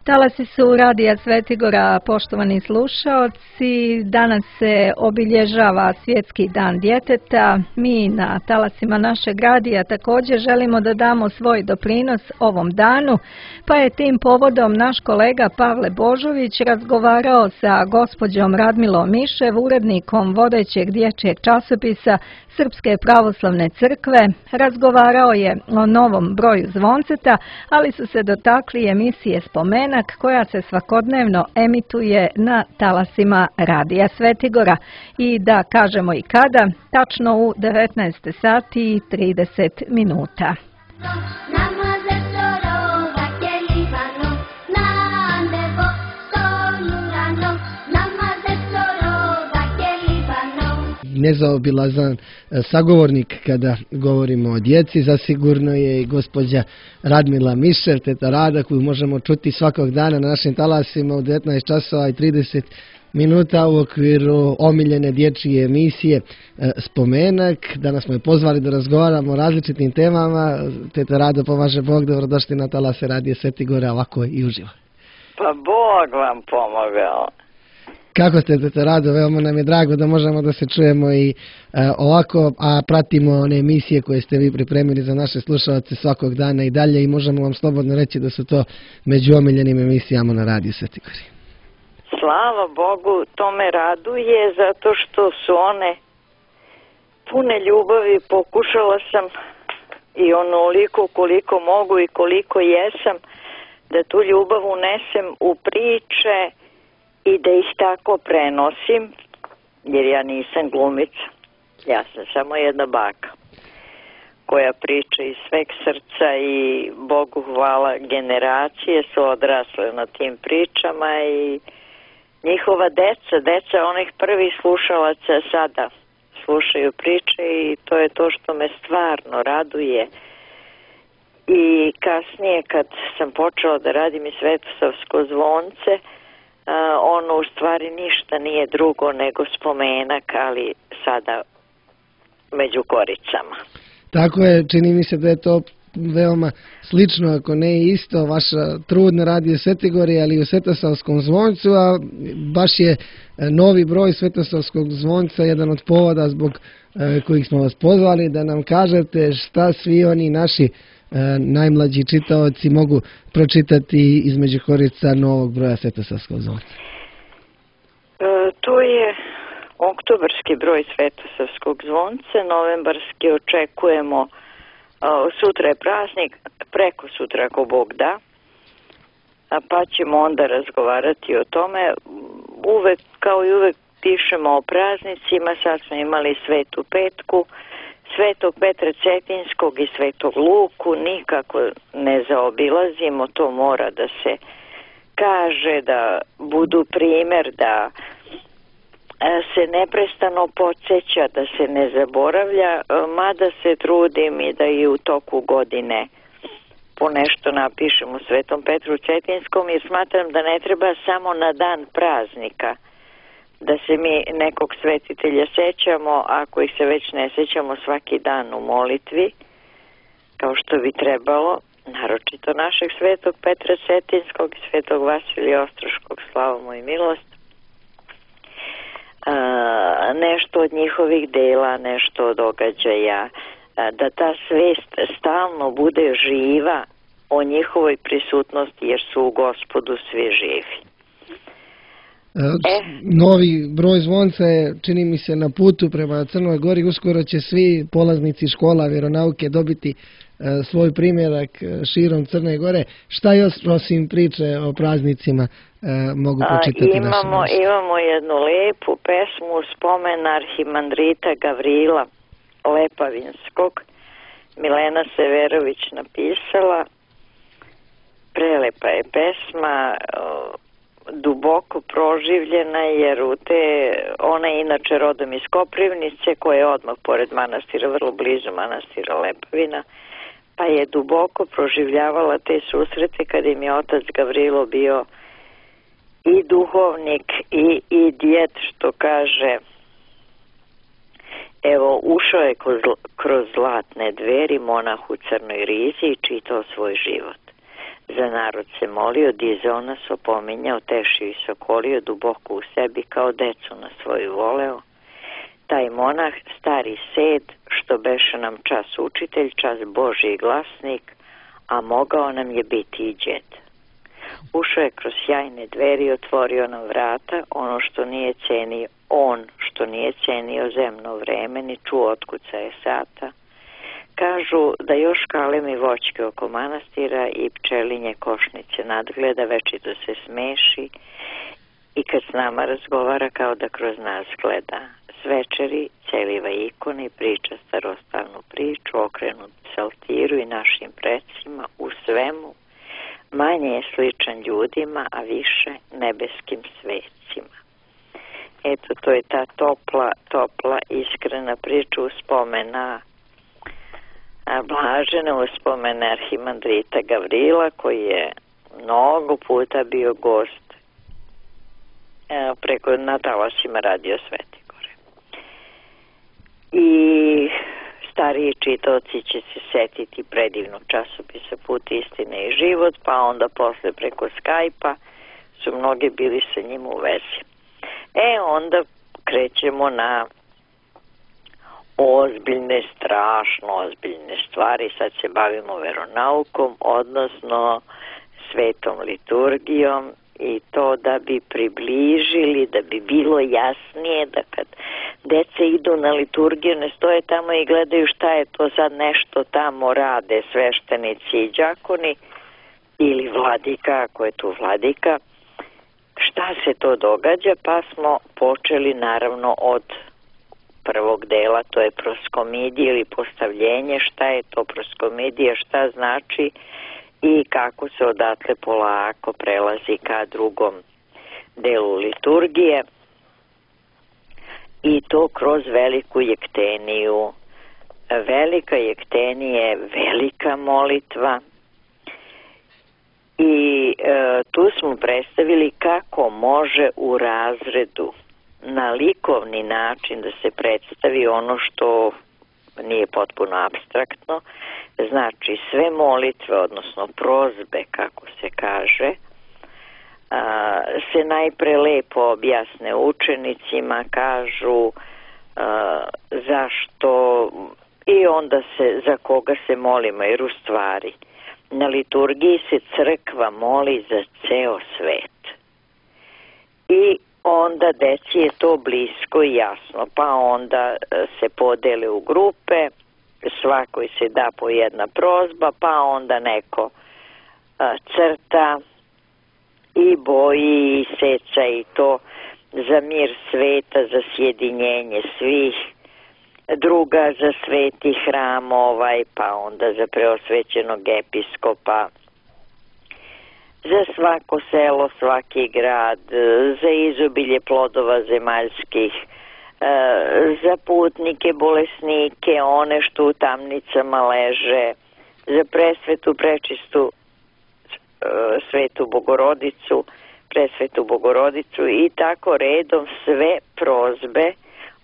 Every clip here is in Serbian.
Talasi su Radija Svetigora, poštovani slušaoci. Danas se obilježava Svjetski dan djeteta. Mi na talasima našeg radija također želimo da damo svoj doprinos ovom danu, pa je tim povodom naš kolega Pavle Božović razgovarao sa gospođom Radmilom Mišev, urednikom vodećeg dječjeg časopisa Srpske pravoslavne crkve. Razgovarao je o novom broju zvonceta, ali su se dotakli emisije Spomenak koja se svakodnevno emituje na talasima Radija Svetigora. I da kažemo i kada, tačno u 19 sati i 30 minuta. Nezaobilazan sagovornik kada govorimo o djeci zasigurno je i gospođa Radmila Mišev, teta Rada, koju možemo čuti svakog dana na našim talasima u 19 časova i 30 minuta u okviru omiljene dječje emisije Spomenak. Danas smo je pozvali da razgovaramo o različitim temama. Teta Rada, pomaže Bog, dobrodošli na talase Radija Svetigora, ovako i uživo. Pa Bog vam pomogao. Kako ste, teta Rado? Veoma nam je drago da možemo da se čujemo i ovako, a pratimo one emisije koje ste vi pripremili za naše slušalce svakog dana i dalje i možemo vam slobodno reći da su to među omiljenim emisijama na Radiju Svetigori. Slava Bogu, to me raduje zato što su one pune ljubavi. Pokušala sam i onoliko koliko mogu i koliko jesam da tu ljubav unesem u priče i da ih tako prenosim, jer ja nisam glumica. Ja sam samo jedna baka koja priča iz sveg srca i Bogu hvala, generacije su odrasle na tim pričama i njihova deca onih prvih slušalaca sada slušaju priče i to je to što me stvarno raduje. I kasnije kad sam počela da radim i Svetosavsko zvonce, ono u stvari ništa nije drugo nego spomenak, ali sada među koricama. Tako je, čini mi se da je to veoma slično, ako ne isto, vaša trud na Radiju Svetigori, ali i u Svetosavskom zvoncu, a baš je novi broj Svetosavskog zvonca jedan od povoda zbog kojih smo vas pozvali da nam kažete šta svi oni naši najmlađi čitaoci mogu pročitati između korica novog broja Svetosavskog zvonca. To je oktobarski broj Svetosavskog zvonca, novembarski očekujemo, sutra je praznik, preko sutra ako Bog da, pa ćemo onda razgovarati o tome. Uvek, kao i uvek, pišemo o praznicima. Sad smo imali Svetu Petku, Svetog Petra Cetinskog i Svetog Luku, nikako ne zaobilazimo, to mora da se kaže, da budu primer, da se neprestano podsjeća, da se ne zaboravlja, mada se trudim i da i u toku godine po nešto napišem u Svetom Petru Cetinskom, jer smatram da ne treba samo na dan praznika da se mi nekog svetitelja sećamo, ako ih se već ne sećamo svaki dan u molitvi, kao što bi trebalo, naročito našeg Svetog Petra Cetinskog i Svetog Vasilija Ostroškog, slava mu i milost. Nešto od njihovih dela, nešto od događaja, da ta svest stalno bude živa o njihovoj prisutnosti, jer su u Gospodu svi živi. Novi broj zvonca je, čini mi se, na putu prema Crnoj Gori. Uskoro će svi polaznici škola vjeronauke dobiti svoj primjerak širom Crne Gore. Šta još osim priče o praznicima mogu pročitati Imamo jednu lepu pesmu u spomen arhimandrita Gavrila Lepavinskog. Milena Severović napisala. Prelepa je pesma, duboko proživljena, jer ona je inače rodom iz Koprivnice, koja je odmah pored manastira, vrlo blizu manastira Lepavina, pa je duboko proživljavala te susrete kada im je otac Gavrilo bio i duhovnik i djed, što kaže, Evo, ušao je kroz zlatne dveri monah u crnoj rizi i čitao svoj život. Za narod se molio, dizao nas, opominjao, tešio i sokolio, duboko u sebi kao decu na svoju voleo. Taj monah, stari sed, što beše nam čas učitelj, čas Božji glasnik, a mogao nam je biti i đed. Ušao je kroz sjajne dveri, otvorio nam vrata, ono što nije cenio, on što nije cenio zemno vreme, ni čuo otkucaje sata. Kažu da još kalemi voćke oko manastira i pčelinje košnice nadgleda, večito se smeši i kad s nama razgovara kao da kroz nas gleda. S večeri celiva ikone, priča starostalnu priču, okrenut psaltiru i našim precima, u svemu manje je sličan ljudima, a više nebeskim svecima. Eto, to je ta topla, iskrena priča uspomena Blažene, uspomene arhimandrita Gavrila, koji je mnogo puta bio gost preko na talasima Radio Svete Gore. I stariji čitaoci će se setiti predivnog časopisa Put, istine i život, pa onda posle preko Skype-a su mnogi bili sa njim u vezi. Onda krećemo na ozbiljne, strašno ozbiljne stvari. Sad se bavimo veronaukom, odnosno svetom liturgijom, i to da bi približili, da bi bilo jasnije da kad deca idu na liturgiju ne stoje tamo i gledaju šta je to sad, nešto tamo rade sveštenici i đakoni ili vladika, ako je tu vladika, šta se to događa, pa smo počeli naravno od prvog dela, to je proskomidija ili postavljenje, šta je to proskomidija, šta znači i kako se odatle polako prelazi ka drugom delu liturgije, i to kroz veliku jekteniju. Velika jektenija je velika molitva i tu smo predstavili kako može u razredu na likovni način da se predstavi ono što nije potpuno apstraktno, znači sve molitve, odnosno prozbe, kako se kaže, se najpre lepo objasne učenicima, kažu zašto i onda se za koga se molimo, jer u stvari na liturgiji se crkva moli za ceo svet i onda deci je to blisko i jasno, pa onda se podele u grupe, svakoj se da po jedna prozba, pa onda neko crta i boji i seca i to za mir sveta, za sjedinjenje svih, druga za sveti hram pa onda za preosvećenog episkopa, za svako selo, svaki grad, za izobilje plodova zemaljskih, za putnike, bolesnike, one što u tamnicama leže, za presvetu, prečistu svetu Bogorodicu, presvetu Bogorodicu i tako redom sve prozbe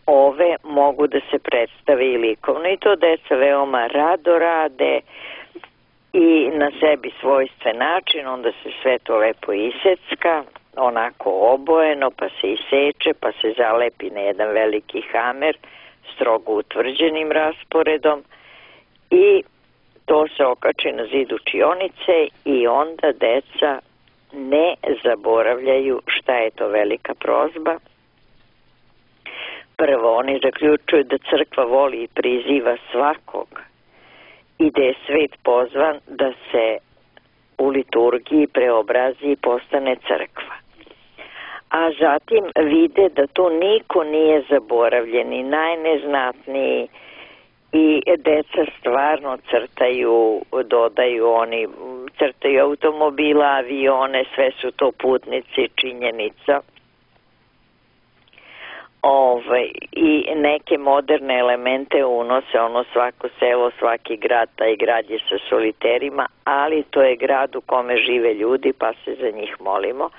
ove mogu da se predstave i likovno. I to deca veoma rado rade i na sebi svojstven način, onda se sve to lepo isecka, onako obojeno, pa se iseče, pa se zalepi na jedan veliki hamer, strogo utvrđenim rasporedom i to se okači na zid učionice i onda deca ne zaboravljaju šta je to velika prozba. Prvo, oni zaključuju da crkva voli i priziva svakog i da je svet pozvan da se u liturgiji preobrazi i postane crkva. A zatim vide da tu niko nije zaboravljen i najneznatniji i deca stvarno crtaju, dodaju, oni crtaju automobila, avione, sve su to putnici, činjenica. I neke moderne elemente unose, ono svako selo, svaki grad, taj grad je sa soliterima, ali to je grad u kome žive ljudi pa se za njih molimo.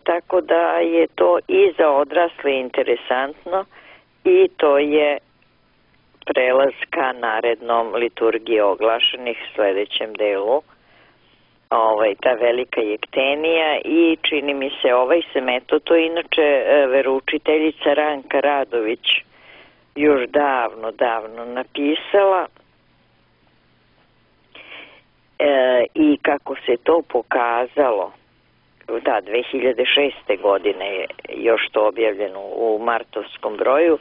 Tako da je to i za odrasle interesantno i to je prelaska narednom liturgiji oglašenih sledećem delu, ta velika jektenija, i čini mi se se metod, to je inače veroučiteljica Ranka Radović još davno napisala, i kako se to pokazalo, 2006. godine je još to objavljeno u martovskom broju,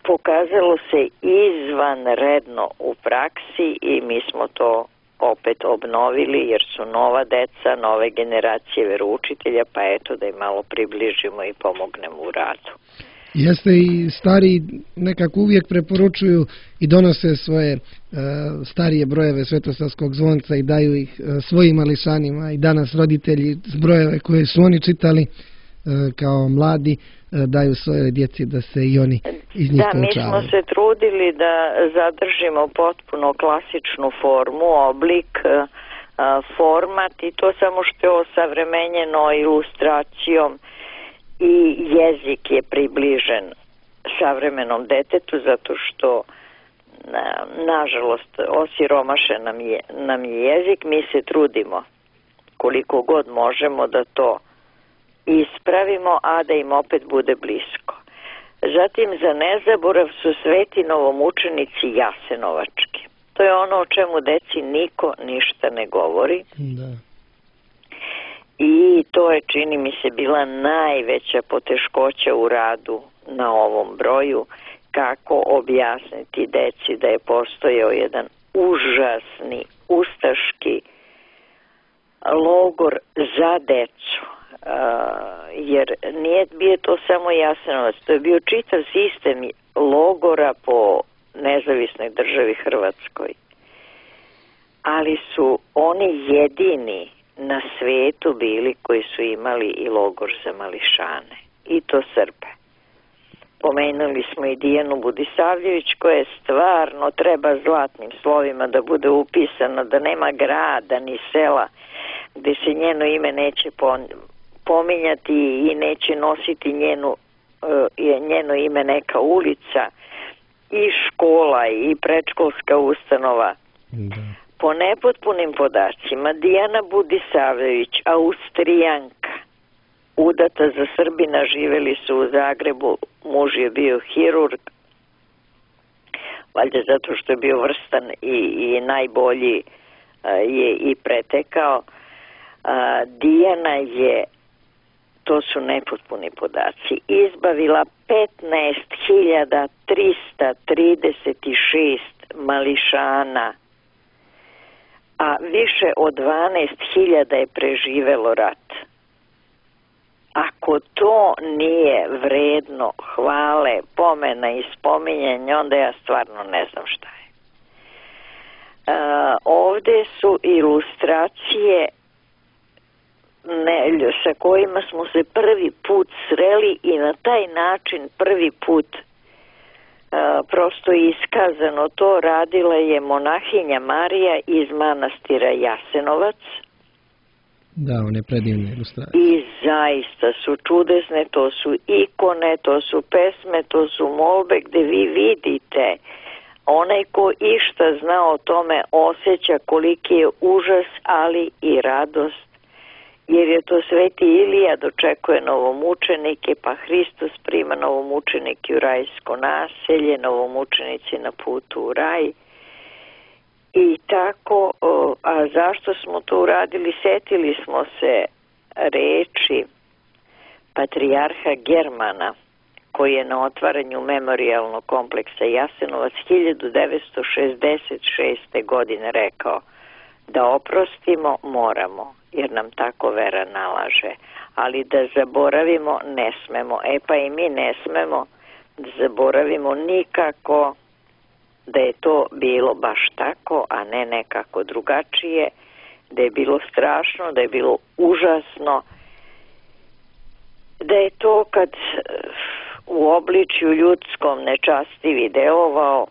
pokazalo se izvanredno u praksi i mi smo to opet obnovili jer su nova deca, nove generacije veroučitelja, pa eto da im malo približimo i pomognemo u radu. Jeste, i stari nekako uvijek preporučuju i donose svoje starije brojeve Svetosavskog zvonca i daju ih svojim mališanima, i danas roditelji brojeve koje su oni čitali kao mladi daju svojoj djeci da se i oni iz njih poučavaju. Mi smo se trudili da zadržimo potpuno klasičnu formu, oblik, format, i to samo što je osavremenjeno ilustracijom i jezik je približen savremenom detetu, zato što nažalost osiromašen nam je jezik. Mi se trudimo koliko god možemo da to ispravimo, a da im opet bude blisko. Zatim, za nezaborav su sveti novomučenici jasenovački. To je ono o čemu deci niko ništa ne govori. Da. I to je, čini mi se, bila najveća poteškoća u radu na ovom broju, kako objasniti deci da je postojao jedan užasni ustaški logor za decu. Jer nije bio to samo Jasenovac, to je bio čitav sistem logora po nezavisnoj državi Hrvatskoj. Ali su oni jedini na svetu bili koji su imali i logor za mališane, i to Srbe. Pomenuli smo i Dijanu Budisavljević, koja je stvarno treba zlatnim slovima da bude upisana, da nema grada ni sela gde se njeno ime neće pominjati i neće nositi njeno ime neka ulica i škola i predškolska ustanova. Da. Po nepotpunim podacima, Dijana Budisavljević, Austrijanka, udata za Srbina, živeli su u Zagrebu, muž je bio hirurg, valjda zato što je bio vrstan i najbolji je i pretekao. Dijana je, to su nepotpuni podaci, izbavila 15.336 mališana, a više od 12.000 je preživelo rat. Ako to nije vredno hvale, pomena i spominjanja, onda ja stvarno ne znam šta je. Ovde su ilustracije sa kojima smo se prvi put sreli i na taj način prvi put prosto iskazano to radila je monahinja Marija iz manastira Jasenovac. Da, one predivne ilustracije. I zaista su čudesne, to su ikone, to su pesme, to su molbe gde vi vidite onaj ko išta zna o tome osjeća koliki je užas, ali i radost, jer je to sveti Ilija dočekuje novomučenike, pa Hristos prima novomučenike u rajsko naselje, novomučenici na putu u raj. I tako, a zašto smo to uradili? Setili smo se reči patrijarha Germana, koji je na otvaranju memorijalnog kompleksa Jasenovac 1966. godine rekao da oprostimo moramo, jer nam tako vera nalaže, ali da zaboravimo ne smemo. Pa i mi ne smemo da zaboravimo nikako da je to bilo baš tako, a ne nekako drugačije, da je bilo strašno, da je bilo užasno, da je to kad u obličju ljudskom nečastivi delovao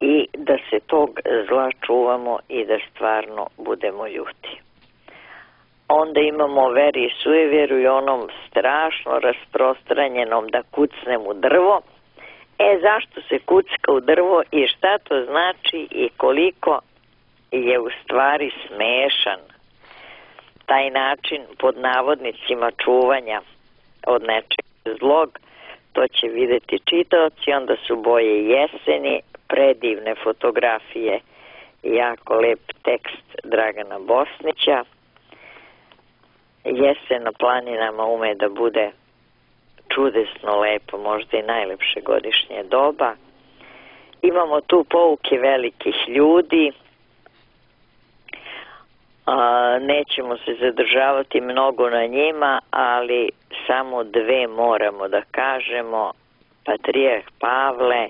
i da se tog zla čuvamo i da stvarno budemo ljuti. onda imamo veri i sujevjeru i onom strašno rasprostranjenom da kucnem u drvo. Zašto se kucka u drvo i šta to znači i koliko je u stvari smešan taj način pod navodnicima čuvanja od nečeg zlog, to će vidjeti čitaoci. Onda su boje jeseni, predivne fotografije, jako lep tekst Dragana Bosnića. Jesen na planinama ume da bude čudesno lepo, možda i najlepše godišnje doba. Imamo tu pouke velikih ljudi. Nećemo se zadržavati mnogo na njima, ali samo dve moramo da kažemo. Patrijarh Pavle,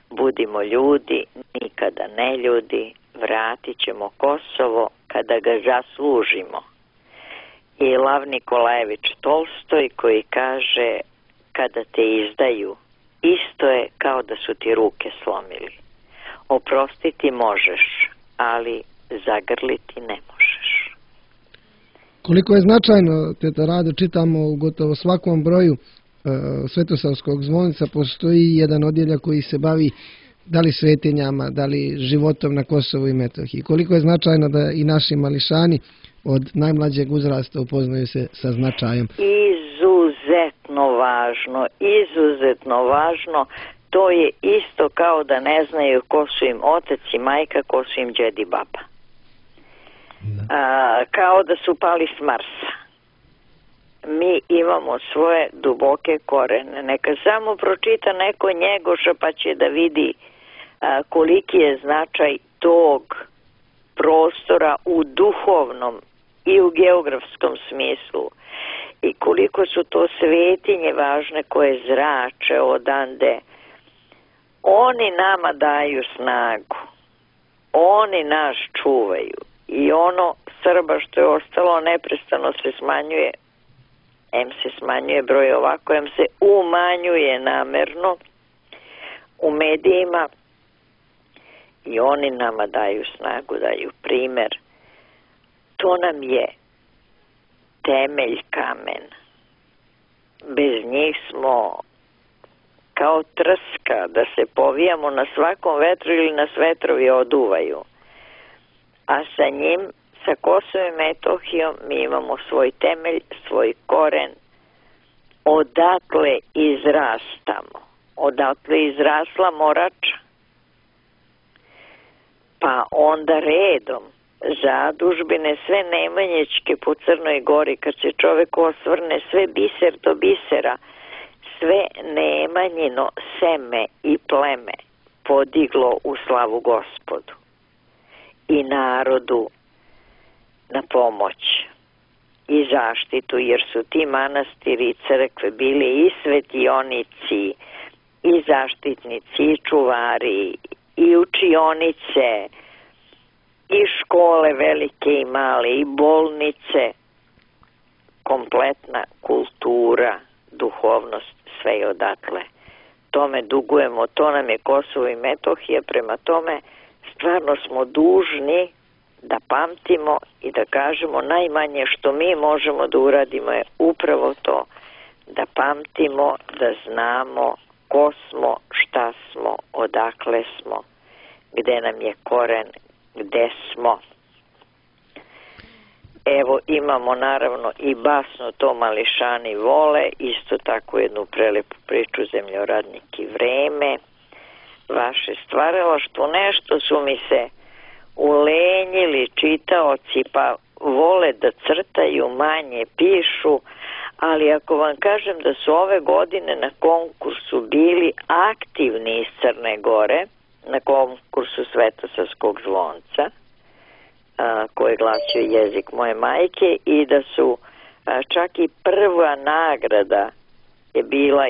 budimo ljudi, nikada ne ljudi, vratit ćemo Kosovo kada ga zaslužimo. I Lav Nikolajević Tolstoj koji kaže, kada te izdaju, isto je kao da su ti ruke slomili. Oprostiti možeš, ali zagrliti ne možeš. Koliko je značajno, teta Rado, čitamo u gotovo svakom broju Svetosavskog zvonca postoji jedan odjeljak koji se bavi da li svetinjama, da li životom na Kosovu i Metohiji. Koliko je značajno da i naši mališani od najmlađeg uzrasta upoznaju se sa značajem. Izuzetno važno. To je isto kao da ne znaju ko su im otac i majka, ko su im džed i baba. Kao da su pali s Marsa. Mi imamo svoje duboke korene. Neka samo pročita neko Njegoša pa će da vidi koliki je značaj tog prostora u duhovnom i u geografskom smislu i koliko su to svetinje važne koje zrače odande. Oni nama daju snagu, oni nas čuvaju i ono Srba što je ostalo neprestano se smanjuje, se smanjuje broj ovako, se umanjuje namerno u medijima i oni nama daju snagu, daju primer. To nam je temelj kamen. Bez njih smo kao trska, da se povijamo na svakom vetru ili nas vetrovi oduvaju. A sa njim, sa Kosovom i Metohijom, mi imamo svoj temelj, svoj koren. Odatle izrastamo. Odatle izrasla Morača. Pa onda redom zadužbine, sve Nemanjićke po Crnoj Gori, kad se čovek osvrne, sve biser do bisera, sve Nemanjino seme i pleme podiglo u slavu Gospodu i narodu na pomoć i zaštitu, jer su ti manastiri i crkve bili i svetionici i zaštitnici i čuvari i učionice i škole velike i male i bolnice, kompletna kultura, duhovnost, sve je odatle. Tome dugujemo, to nam je Kosovo i Metohija, prema tome stvarno smo dužni da pamtimo i da kažemo najmanje što mi možemo da uradimo je upravo to, da pamtimo, da znamo ko smo, šta smo, odakle smo, gde nam je koren, gde smo. Evo imamo naravno i basno To mališani vole, isto tako jednu prelepu priču Zemljoradnik i vreme, vaše stvaralaštvo. Nešto su mi se ulenjili čitaoci pa vole da crtaju, manje pišu, ali ako vam kažem da su ove godine na konkursu bili aktivni iz Crne Gore, na konkursu Svetosavskog zvonca, koji glasio jezik moje majke, i da su čak i prva nagrada je bila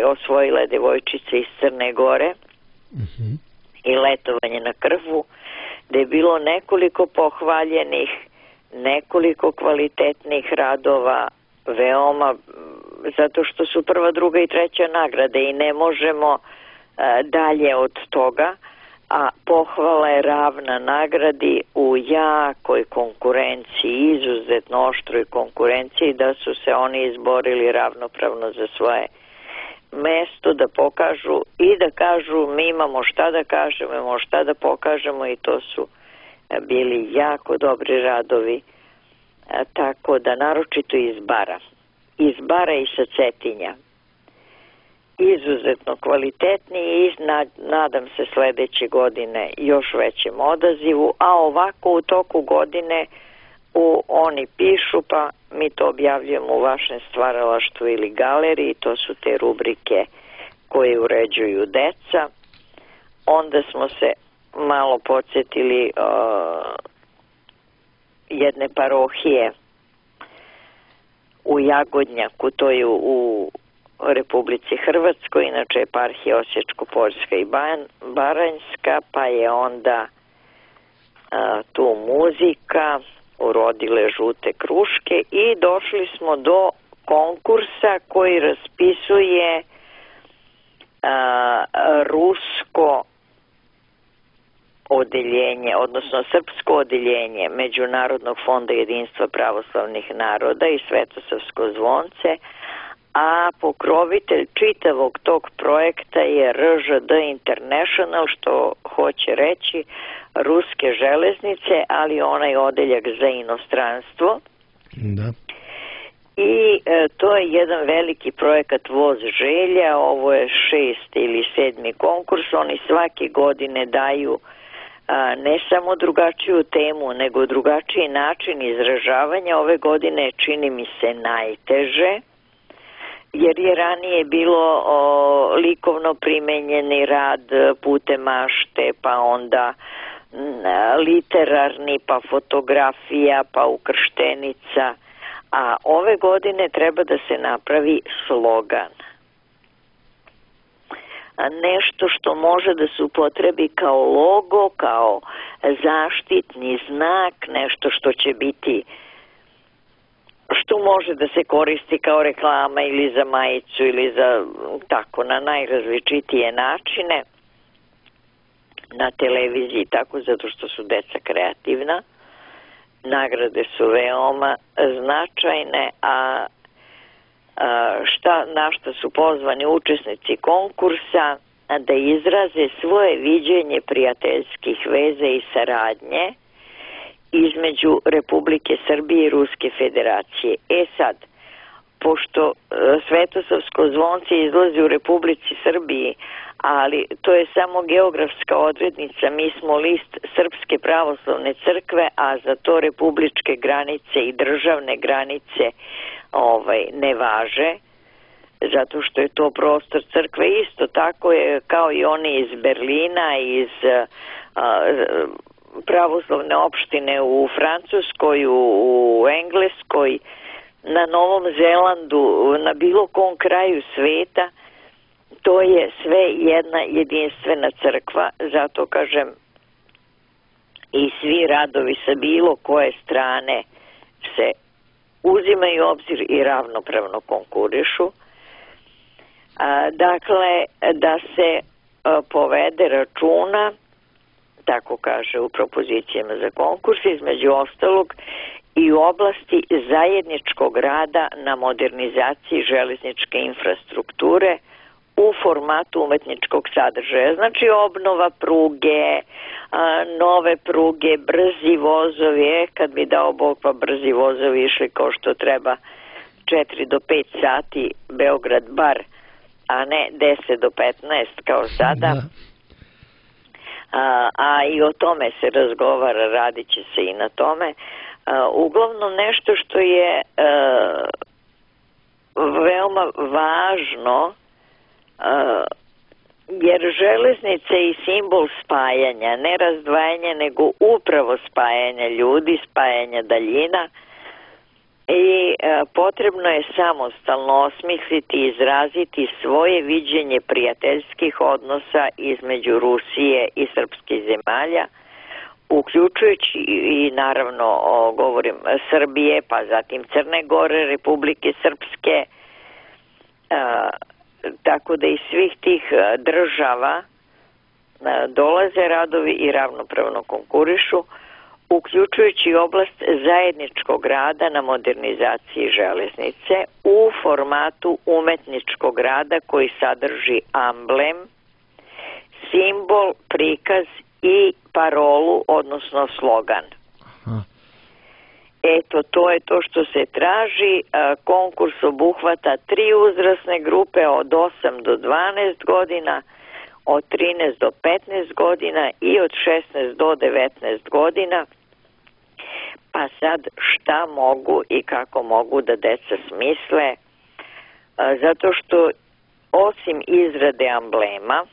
osvojila devojčica iz Crne Gore i letovanje na Krfu, da je bilo nekoliko pohvaljenih, nekoliko kvalitetnih radova, veoma, zato što su prva, druga i treća nagrade i ne možemo dalje od toga. a pohvala je ravna nagradi u jakoj konkurenciji, izuzetno oštroj konkurenciji, da su se oni izborili ravnopravno za svoje mesto, da pokažu i da kažu mi imamo šta da kažemo, imamo šta da pokažemo, i to su bili jako dobri radovi, tako da naročito iz Bara i sa Cetinja. Izuzetno kvalitetni i nadam se sledeće godine još većem odazivu, a ovako u toku godine oni pišu, pa mi to objavljujemo u vašem stvaralaštvu ili galeriji, to su te rubrike koje uređuju deca. Onda smo se malo podsjetili jedne parohije u Jagodnjaku, to je u Republici Hrvatskoj, inače je eparhija Osječko-Požeška i Baranjska, pa je onda tu muzika, urodile žute kruške, i došli smo do konkursa koji raspisuje rusko odeljenje, odnosno srpsko odeljenje Međunarodnog fonda jedinstva pravoslavnih naroda i Svetosavsko zvonce, a pokrovitelj čitavog tog projekta je RŽD International, što hoće reći ruske železnice, ali onaj odeljak za inostranstvo. Da. I to je jedan veliki projekat Voz želja, ovo je 6. ili 7. konkurs, oni svake godine daju ne samo drugačiju temu, nego drugačiji način izražavanja. Ove godine čini mi se najteže, jer je ranije bilo likovno primenjeni rad putem mašte, pa onda literarni, pa fotografija, pa ukrštenica, a ove godine treba da se napravi slogan. Nešto što može da se upotrebi kao logo, kao zaštitni znak, nešto što će biti, što može da se koristi kao reklama ili za majicu ili za tako na najrazličitije načine na televiziji, tako, zato što su deca kreativna. Nagrade su veoma značajne, a na šta su pozvani učesnici konkursa da izraze svoje viđenje prijateljskih veza i saradnje između Republike Srbije i Ruske federacije. Sad, pošto Svetosavsko zvonce izlazi u Republici Srbiji, ali to je samo geografska odrednica, mi smo list Srpske pravoslavne crkve, a za to republičke granice i državne granice ne važe, zato što je to prostor crkve. Isto tako je kao i oni iz Berlina, iz pravoslavne opštine u Francuskoj, u Engleskoj, na Novom Zelandu, na bilo kom kraju sveta. To je sve jedna jedinstvena crkva, zato kažem, i svi radovi sa bilo koje strane se uzimaju u obzir i ravnopravno konkurišu. Dakle, da se povede računa, tako kaže u propozicijama za konkurs, između ostalog i u oblasti zajedničkog rada na modernizaciji železničke infrastrukture u formatu umetničkog sadržaja. Znači obnova pruge, nove pruge, brzi vozovi, kad bi dao Bog pa brzi vozovi išli kao što treba 4 do 5 sati Beograd-Bar, a ne 10 do 15 kao sada. A i o tome se razgovara, radit će se i na tome. Uglavnom nešto što je veoma važno, jer železnica je i simbol spajanja, ne razdvajanja, nego upravo spajanja ljudi, spajanja daljina, i potrebno je samostalno osmisliti i izraziti svoje viđenje prijateljskih odnosa između Rusije i srpskih zemalja, uključujući i naravno govorim Srbije, pa zatim Crne Gore, Republike Srpske, tako da iz svih tih država dolaze radovi i ravnopravno konkurišu, uključujući oblast zajedničkog rada na modernizaciji železnice u formatu umetničkog rada koji sadrži amblem, simbol, prikaz i parolu, odnosno slogan. Aha. Eto, to je to što se traži. Konkurs obuhvata 3 uzrasne grupe od 8 do 12 godina, od 13 do 15 godina i od 16 do 19 godina. Pa sad šta mogu i kako mogu da deca smisle? Zato što osim izrade amblema,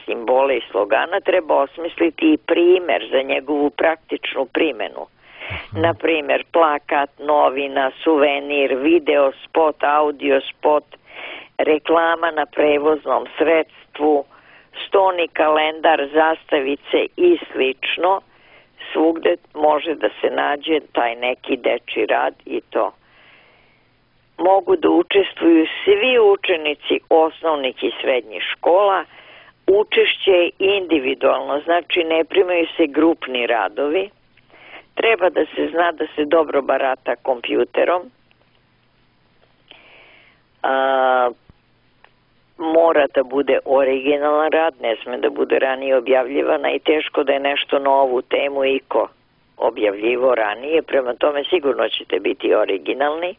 simbola i slogana, treba osmisliti i primer za njegovu praktičnu primjenu. Na primjer, plakat, novina, suvenir, video spot, audio spot, reklama na prevoznom sredstvu, stoni kalendar, zastavice i slično. Svugde može da se nađe taj neki dečji rad i to. Mogu da učestvuju svi učenici osnovnih i srednjih škola. Učešće je individualno, znači ne primaju se grupni radovi. Treba da se zna da se dobro barata kompjuterom. Mora da bude originalan rad, ne sme da bude ranije objavljivana i teško da je nešto novu temu iko objavljivo ranije, prema tome sigurno ćete biti originalni.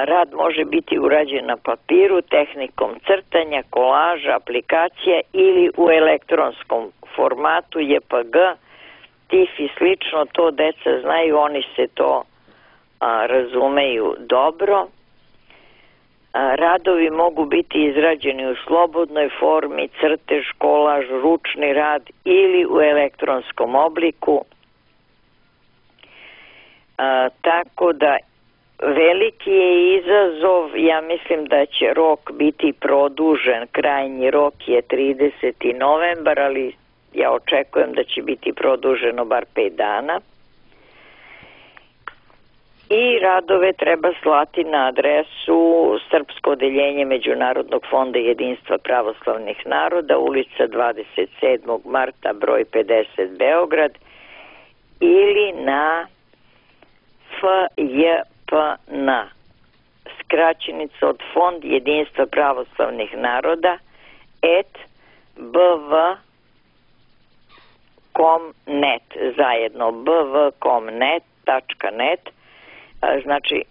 Rad može biti urađen na papiru, tehnikom crtanja, kolaža, aplikacija ili u elektronskom formatu JPG, TIFF i slično, to deca znaju, oni se to razumeju dobro. Radovi mogu biti izrađeni u slobodnoj formi, crtež, kolaž, ručni rad ili u elektronskom obliku. Tako da veliki je izazov, ja mislim da će rok biti produžen, krajnji rok je 30. novembar, ali ja očekujem da će biti produženo bar 5 dana. I radove treba slati na adresu Srpsko odeljenje Međunarodnog fonda jedinstva pravoslavnih naroda, ulica 27. marta, broj 50, Beograd, ili na FJPN, skraćenica od Fond jedinstva pravoslavnih naroda, bv.com.net, zajedno bv.com.net, znači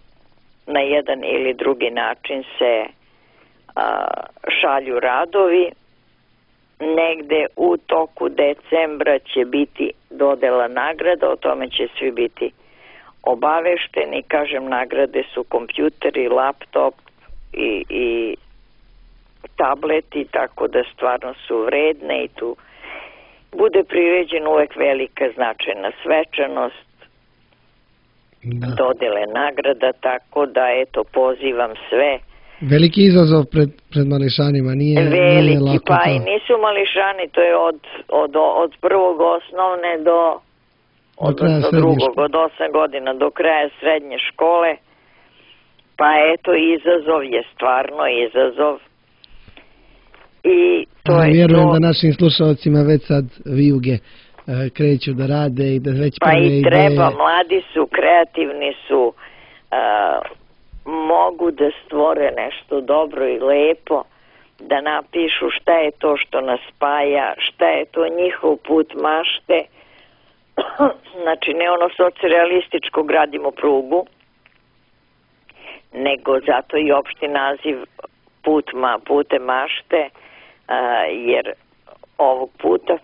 na jedan ili drugi način se šalju radovi. Negde u toku decembra će biti dodela nagrada, o tome će svi biti obavešteni. Kažem, nagrade su kompjuteri, laptop i tableti, tako da stvarno su vredne i tu bude priređena uvek velika značajna svečanost, dodele nagrada, tako da eto pozivam sve. Veliki izazov pred mališanima, nije lako. Pa i nisu mališani, to je od prvog osnovne do drugog, od 8 godina do kraja srednje škole. Pa eto, izazov je stvarno izazov. I to je vjerujem da našim slušalcima već sad vijuge kreću da rade i da već pa i treba, mladi su, kreativni su, mogu da stvore nešto dobro i lepo, da napišu šta je to što nas spaja, šta je to njihov put mašte. Znači ne ono socrealističko gradimo prugu, nego zato i opšti naziv pute mašte, jer ovog puta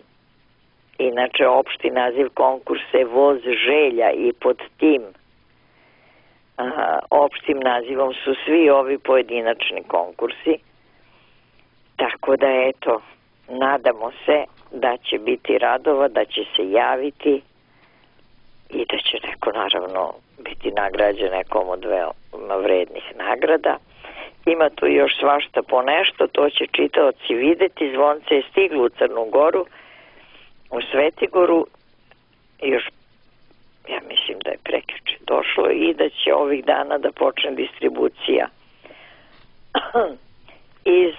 inače opšti naziv konkursa je Voz želja i pod tim opštim nazivom su svi ovi pojedinačni konkursi. Tako da eto, nadamo se da će biti radova, da će se javiti i da će neko naravno biti nagrađen nekom od veoma vrednih nagrada. Ima tu još svašta po nešto, to će čitaoci videti. Zvonce je stiglo u Crnu Goru, u Svetigoru, još ja mislim da je prekjuče došlo i da će ovih dana da počne distribucija iz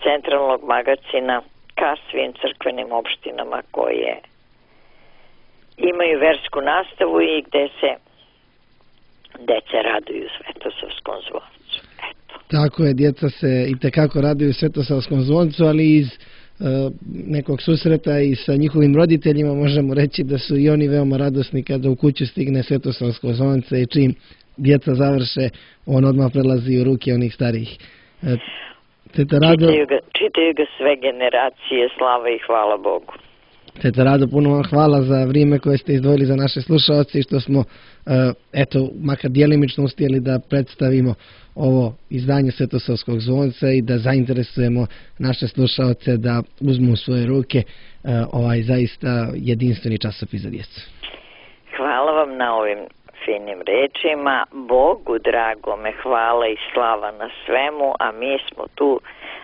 centralnog magacina ka svim crkvenim opštinama koje imaju versku nastavu i gde se deca raduju Svetosavskom zvoncu. Eto. Tako je, djeca se itekako raduju Svetosavskom zvoncu, ali iz nekog susreta i sa njihovim roditeljima možemo reći da su i oni veoma radosni kada u kuću stigne Svetosavsko zvonce i čim djeca završe, on odmah prelazi u ruke onih starijih. Čitaju ga sve generacije, slava i hvala Bogu. Teta Rado, puno vam hvala za vrijeme koje ste izdvojili za naše slušaoce i što smo, makar djelimično uspjeli da predstavimo ovo izdanje Svetosavskog zvonca i da zainteresujemo naše slušaoce da uzmu u svoje ruke ovaj zaista jedinstveni časopis za djecu. Hvala vam na ovim finim rečima. Bogu dragome hvala i slava na svemu, a mi smo tu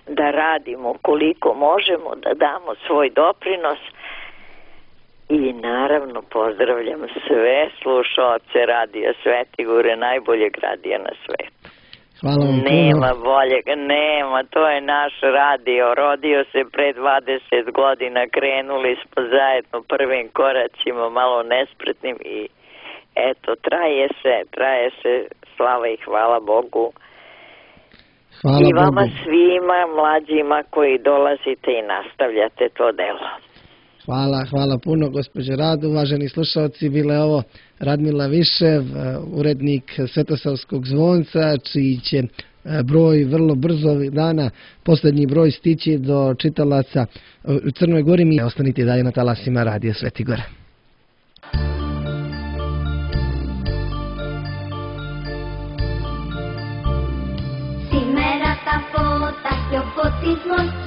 da radimo koliko možemo, da damo svoj doprinos. I naravno pozdravljam sve slušaoce Radija Svetigore, najboljeg radija na svetu. Hvala vam nema boljeg, nema, to je naš radio, rodio se pre 20 godina, krenuli smo zajedno prvim koracima, malo nespretnim i eto, traje se, slava i hvala Bogu. Hvala i vama Bogu. Svima mlađima koji dolazite i nastavljate to delo. Hvala puno, gospođo Rado. Uvaženi slušalci, bila je ovo Radmila Višev, urednik Svetosavskog zvonca, čiji će broj vrlo brzo ovih dana, posljednji broj, stići do čitalaca u Crnoj Gori. Mi ostanite dalje na talasima Radija Svetigora. Σήμερα τα φώτα και ο φωτισμός